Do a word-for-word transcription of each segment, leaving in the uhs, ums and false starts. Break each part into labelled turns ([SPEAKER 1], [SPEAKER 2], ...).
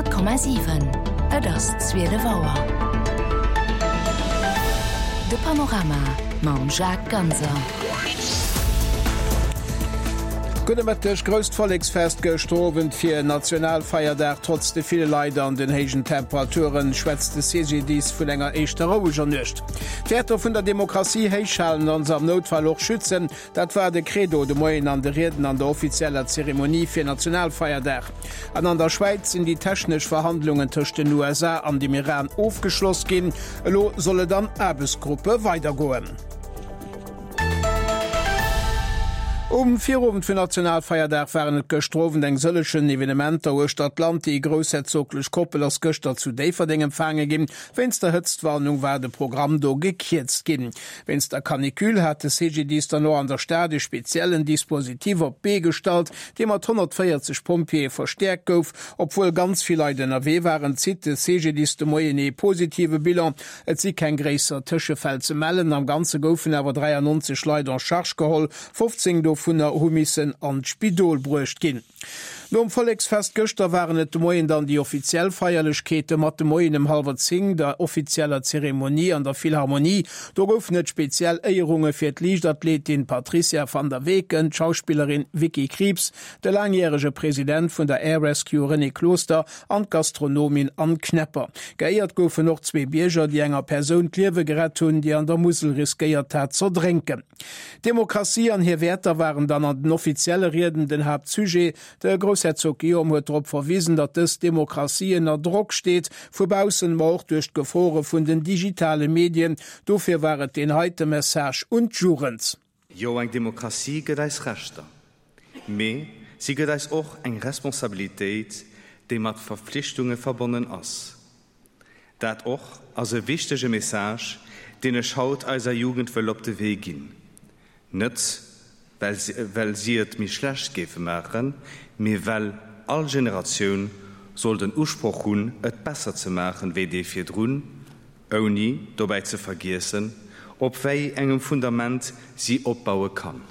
[SPEAKER 1] Honnert Komma siwen, Et ass zwielef Auer. De Panorama mam Jacques Ganser.
[SPEAKER 2] Gudde Mëtteg, Grousst Volleksfest gëschter Owend fir Nationalfeierdag. Trotz de ville Leit an den héijen Temperaturen schwätzt de CGDIS vun enger éischter roueger Nuecht. D'Wäerter vun der Demokratie héichhalen an se am Noutfall och schützen, dat war de Credo de Moien an de Rieden an der offizieller Zeremonie fir Nationalfeierdag. An an der Schwäiz sinn déi technesch Verhandlungen tëscht den U S A an dem Iran ofgeschloss ginn. Elo soll et an Aarbechtsgruppe weidergoen. Um Virowend vun Nationalfeierdag waren et gëschter Owend eng sëllegen Evenementer uechter d'Land. Déi groussherzoglech Koppel ass gëschter zu Déifferdeng empfaange ginn. Wéinst der Hëtztwarnung war de Programm do gekierzt ginn. Wéinst der Canicule hat de C G D I S dann och an der Stad e speziellen Dispositif op d'Bee gestallt, dee mat honnertvéierzeg Pompjeeë verstäerkt gouf. Obwuel ganz vill Leit ënnerwee waren, zitt de C G D I S de Moien ee positive Bilan. Et si keng gréisser Tëschefäll ze mellen. Am Ganze goufen awer dräiannonzeg Leit en charge geholl. fofzéng dovunner hu missen an d'Spidol bruecht ginn. Nom Volleksfest gëschter waren et de Moien dann déi offiziell Feierlechkeete mat de Moien um hallwer zéng, der offizieller Zeremonie an der Philharmonie. Do goufen et speziell Éierunge fir d'Liichtathletin Patricia van der Weken, d'Schauspillerin Vicky Krieps, de langjärege President vun der Air Rescue René Closter an d'Gastronomin Anne Knepper. Geéiert goufen och zwee Bierger, déi enger Persoun d'Liewe gerett hunn, déi an der Musel riskéiert hat z'erdrénken. Demokratie an hir Wäerter waren dann an den offizielle Rieden den Haaptsujet. De Groussherzog Guillaume huet drop verwiesen, datt dës Demokratie ënner Drock steet, vu baussen, ma och duerch d'Gefore vun den digitale Medien. Dofir war et den heite Message un d'Jugend.
[SPEAKER 3] Jo, eng Demokratie gëtt eis Rechter, mee si gëtt eis och eng Responsabilitéit, déi mat Verpflichtunge verbonnen ass. Dat och ass e wichtege Message, deen ech haut eiser Jugend wëll op de Wee ginn. Net, well si, well si et méi schlecht géife maachen, mee well all Generatioun soll den Usproch hunn, et besser ze maachen wéi dee virdrun, ouni dobäi ze vergiessen, op wéi engem Fundament si opbaue kann.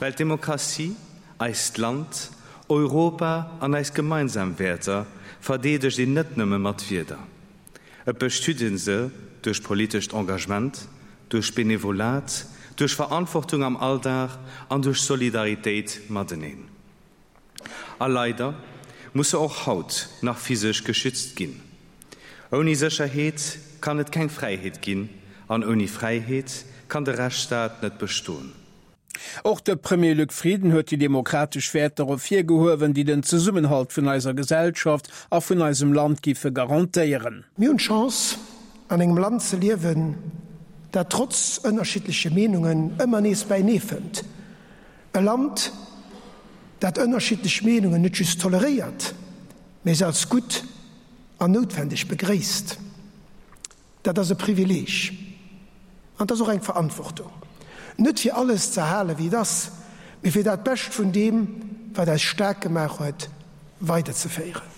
[SPEAKER 3] Well d'Demokratie, eist Land, Europa an eis gemeinsam Wäerter verdeedegt een net nëmme mat Wierder. Et bestüden se duerch politescht Engagement, duerch Benevolat, duerch Verantwortung am Alldag an duerch Solidaritéit mateneen. A leider muss se och haut nach physisch geschützt ginn. Ouni Sécherheet kann et keng Fräiheet ginn an ouni Fräiheet kann de Rechtsstaat net bestoen.
[SPEAKER 2] Och de Premier Luc Frieden huet déi demokratesch Wäerter ervirgehuewen, déi den Zesummenhalt vun eiser Gesellschaft a vun eisem Land giffe garantéieren.
[SPEAKER 4] Mir hunn d'Chance, an engem Land ze liewen, dat trotz ënnerschiddleche Meenungen ëmmer nees bäinee fënnt. E Land, dat ënnerschiddlech Meenungen net just toleréiert, mee se als gutt an noutwendeg begréisst. Dat ass e Privileeg an dat ass och eng Verantwortung. Net fir alles ze halen, wéi et ass, mee fir dat Bescht vun deem, wat eis staark gemaach huet, weiderzeféieren.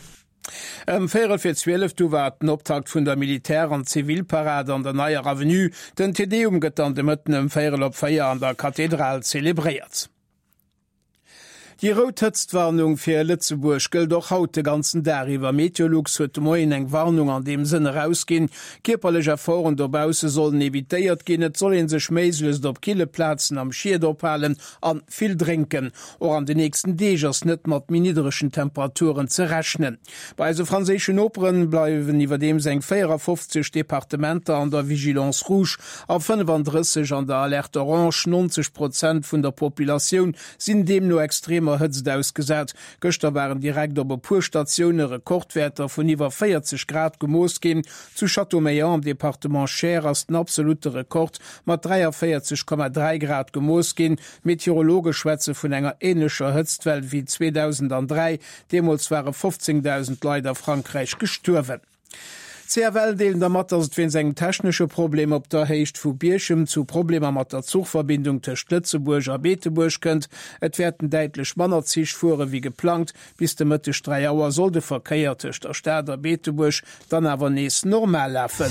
[SPEAKER 2] Ëm véierel fir zwielef du war den Optakt vun der Militär- an Zivilparade an der Neier Avenue. Den Te Deum gëtt dann de Mëtten ëm véierel op véier an der Kathedral zelebréiert. Déi rout Hëtztwarnung fir Lëtzebuerg gëllt och haut de ganzen Dag iwwer. Meteolux huet de Moien eng Warnung an deem Sënn erausginn. Kierperlech Efforten dobausse sollen evitéiert ginn. Et soll een sech méiglechst op kille Plazen am Schied ophalen an vill drénken. Och an den nächsten Deeg ass net mat méi niddregen Temperaturen ze rechnen. Bei eise franséischen Noperen bleiwen iwwerdeems eng véierafofzeg Departementer an der Vigilance Rouge a fënnefandrësseg an der Alerte Orange. neunzeg Prozent vun der Populatioun sinn deemno extremer Hëtzt ausgesat. Gëschter waren direkt op e puer Statioune Rekordwäerter vun iwwer véierzeg Grad gemooss ginn. Zu Châteaumeillant am Departement Cher ass den absolute Rekord mat dräiavéierzeg Komma dräi Grad gemooss ginn. Meteorologe schwätze vun enger ähnlecher Hëtztwell wéi zweetausenddräi. Deemools ware fofzéngdausend Leit a Frankräich gestuerwen. C F L deelen dermat, datt et wéinst engem technesche Problem op der Héicht vu Bierchem zu Problemer mat der Zuchverbindung tëscht Lëtzebuerg a Beetebuerg kënnt. Et wäerten däitlech manner Zich fuere wéi geplangt. Bis de Mëtteg dräi Auer soll de Verkéier tëscht der Stad a Beetebuerg dann awer nees normal lafen.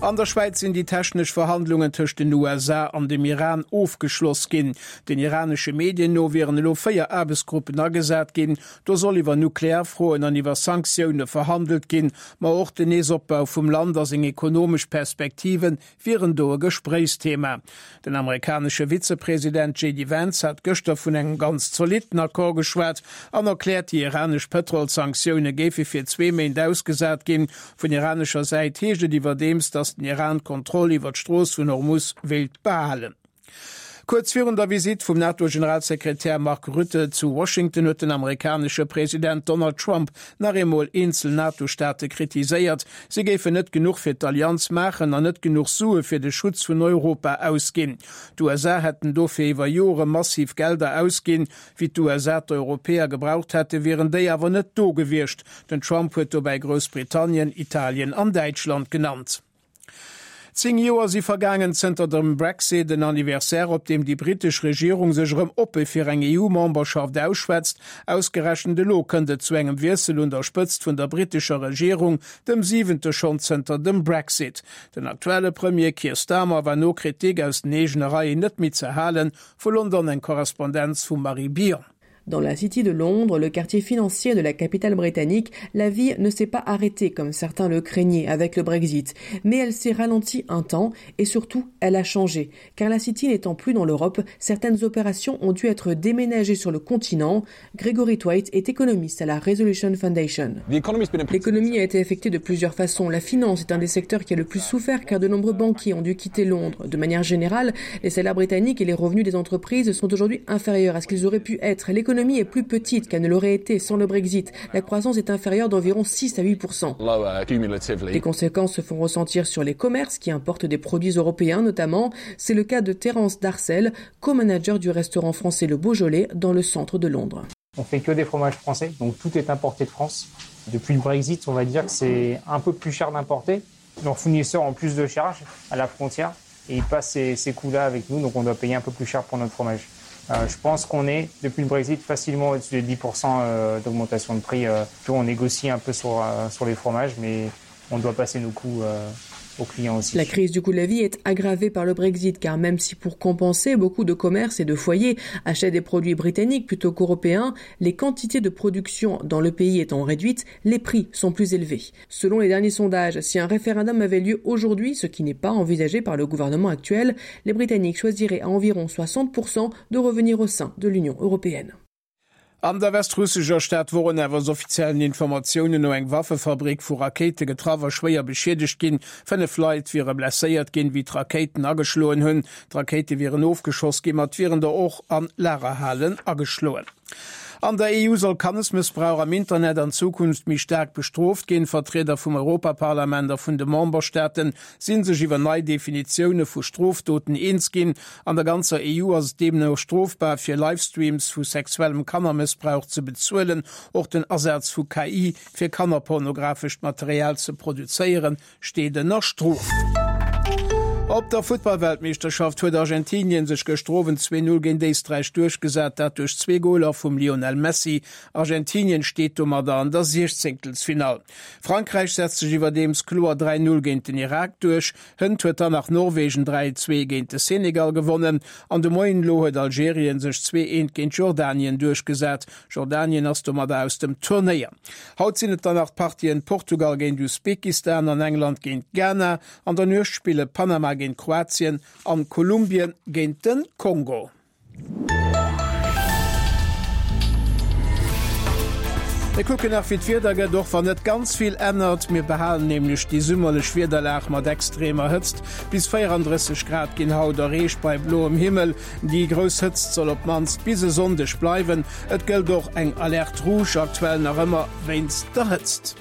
[SPEAKER 2] An der Schwäiz sinn déi technesch Verhandlungen tëscht den U S A an dem Iran ofgeschloss ginn. Den iranesche Medien no wieren elo véier Aarbechtsgruppen agesat ginn. Do soll iwwer Nuklearfroen an iwwer Sanktioune verhandelt ginn. Ma och den Neesopbau vum Land a seng ekonomesch Perspektive wieren do e Gespréichsthema. Den amerikanesche Vizepresident J D Vance hat gëschter vun engem ganz zolitten Accord geschwat an erkläert, déi iranesch Pëtrolsanktioune géife fir zwee Méint ausgesat ginn. Vun iranescher Säit heescht et iwwerdeems, datt den Iran d'Kontroll iwwer d'Strooss vun Hormuz wéilt behalen. Kuerz virun der Visitt vum NATO-Generalsekretär Mark Rutte zu Washington huet den amerikanesche President Donald Trump nach eemol eenzel NATO-Staate kritiséiert. Si géifen net genuch fir d'Allianz maachen an net genuch Sue fir de Schutz vun Europa ausginn. D'U S A hätten dofir iwwer Jore massiv Gelder ausginn. Wéi d'U S A d'Europäer gebraucht hätte, wieren déi awer net do gewiescht. Den Trump huet dobäi Groussbritannien, Italien an Däitschland genannt. Zéng Joer si vergaangen zënter dem Brexit, den Anniversaire, op deem déi britesch Regierung sech erëm oppe fir eng E U-Memberschaft ausschwätzt. Ausgerechent elo kënnt et zu engem Wiessel un der Spëtzt vun der britescher Regierung, dem siwente schonn zënter dem Brexit. Den aktuelle Premier Keir Starmer war no Kritik aus den eegene Reien net méi ze halen. Vu London eng Korrespondenz vu Marie Bion.
[SPEAKER 5] Dans la City de Londres, le quartier financier de la capitale britannique, la vie ne s'est pas arrêtée comme certains le craignaient avec le Brexit. Mais elle s'est ralentie un temps et surtout, elle a changé. Car la City n'étant plus dans l'Europe, certaines opérations ont dû être déménagées sur le continent. Gregory Thwaite est économiste à la Resolution Foundation.
[SPEAKER 6] The economy's been impacted.
[SPEAKER 5] L'économie a été affectée de plusieurs façons. La finance est un des secteurs qui a le plus souffert car de nombreux banquiers ont dû quitter Londres. De manière générale, les salaires britanniques et les revenus des entreprises sont aujourd'hui inférieurs à ce qu'ils auraient pu être. L'économie est plus petite qu'elle ne l'aurait été sans le Brexit. La croissance est inférieure d'environ six à huit pour cent.
[SPEAKER 6] Lower, cumulatively.
[SPEAKER 5] Les conséquences se font ressentir sur les commerces qui importent des produits européens notamment. C'est le cas de Terence Darcel, co-manager du restaurant français Le Beaujolais dans le centre de Londres.
[SPEAKER 7] On fait que des fromages français, donc tout est importé de France. Depuis le Brexit, on va dire que c'est un peu plus cher d'importer. Nos fournisseurs ont plus de charges à la frontière et ils passent ces, ces coûts-là avec nous, donc on doit payer un peu plus cher pour notre fromage. Euh, je pense qu'on est, depuis le Brexit, facilement au-dessus des dix pour cent, euh, d'augmentation de prix. Euh, on négocie un peu sur, euh, sur les fromages, mais on doit passer nos coûts, euh, aux clients aussi.
[SPEAKER 5] La crise du coût de la vie est aggravée par le Brexit, car même si pour compenser, beaucoup de commerces et de foyers achètent des produits britanniques plutôt qu'européens, les quantités de production dans le pays étant réduites, les prix sont plus élevés. Selon les derniers sondages, si un référendum avait lieu aujourd'hui, ce qui n'est pas envisagé par le gouvernement actuel, les Britanniques choisiraient à environ soixante pour cent de revenir au sein de l'Union européenne.
[SPEAKER 2] An der westrussischer Stadt wurden awer offiziellen Informationen no eng Waffefabrik vu Rakete getraff a schwéier beschädigt ginn. Fënnef Leit wiere blesséiert ginn, wie d'Raketen ageschloen hunn. D'Rakete wieren ofgeschoss ginn, mat wieren der och an Lagerhallen ageschloen. An der E U soll Kannesmissbrauch am Internet an Zukunft méi stark bestrooft ginn. Vertreter vum Europaparlament a vun de Memberstaaten sinn sech iwwer nei Definitioune vu Strofdoten eens ginn. An der ganzer E U ass et deemno strofbar fir Livestreams vu sexuellem Kannermissbrauch ze bezuelen. Och den Asaz vu K I fir kannerpornografescht Material ze produzéieren steet ënner Strof. Op der Futtballweltmeeschterschaft huet Argentinien sech gëschter Owend zwee null géint Éisträich duerchgesat, dat duerch zwee Goler vum Lionel Messi. Argentinien steet domadder an der Siechzehntelfinall. Frankräich setzt sech iwwerdeems kloer dräi null géint den Irak duerch. Hënt huet dann nach Norwegen dräi zwee géint de Senegal gewonnen. An de Moien elo huet Algerien sech zwee eent géint Jordanien duerchgesat. Jordanien ass domadder aus dem Turnéier. Haut sinn et dann nach d'Partien Portugal géint Usbekistan an England géint Ghana. An der Nuecht spille Panama géint Kroatien an Kolumbien géint den Kongo. Wir kucken nach wie d'Wieder gëtt, och wann net ganz vill ännert. Mir behalen nämlech déi summerlech Wiederlag mat extremer Hëtzt. Bis vierunddrësseg Grad ginn haut erreecht bei bloem Himmel. Déi grouss Hëtzt soll op d'mannst bis e Sonndeg bleiwen. Et gëllt och eng Alerte rouge aktuell nach ëmmer wéinst der Hëtzt.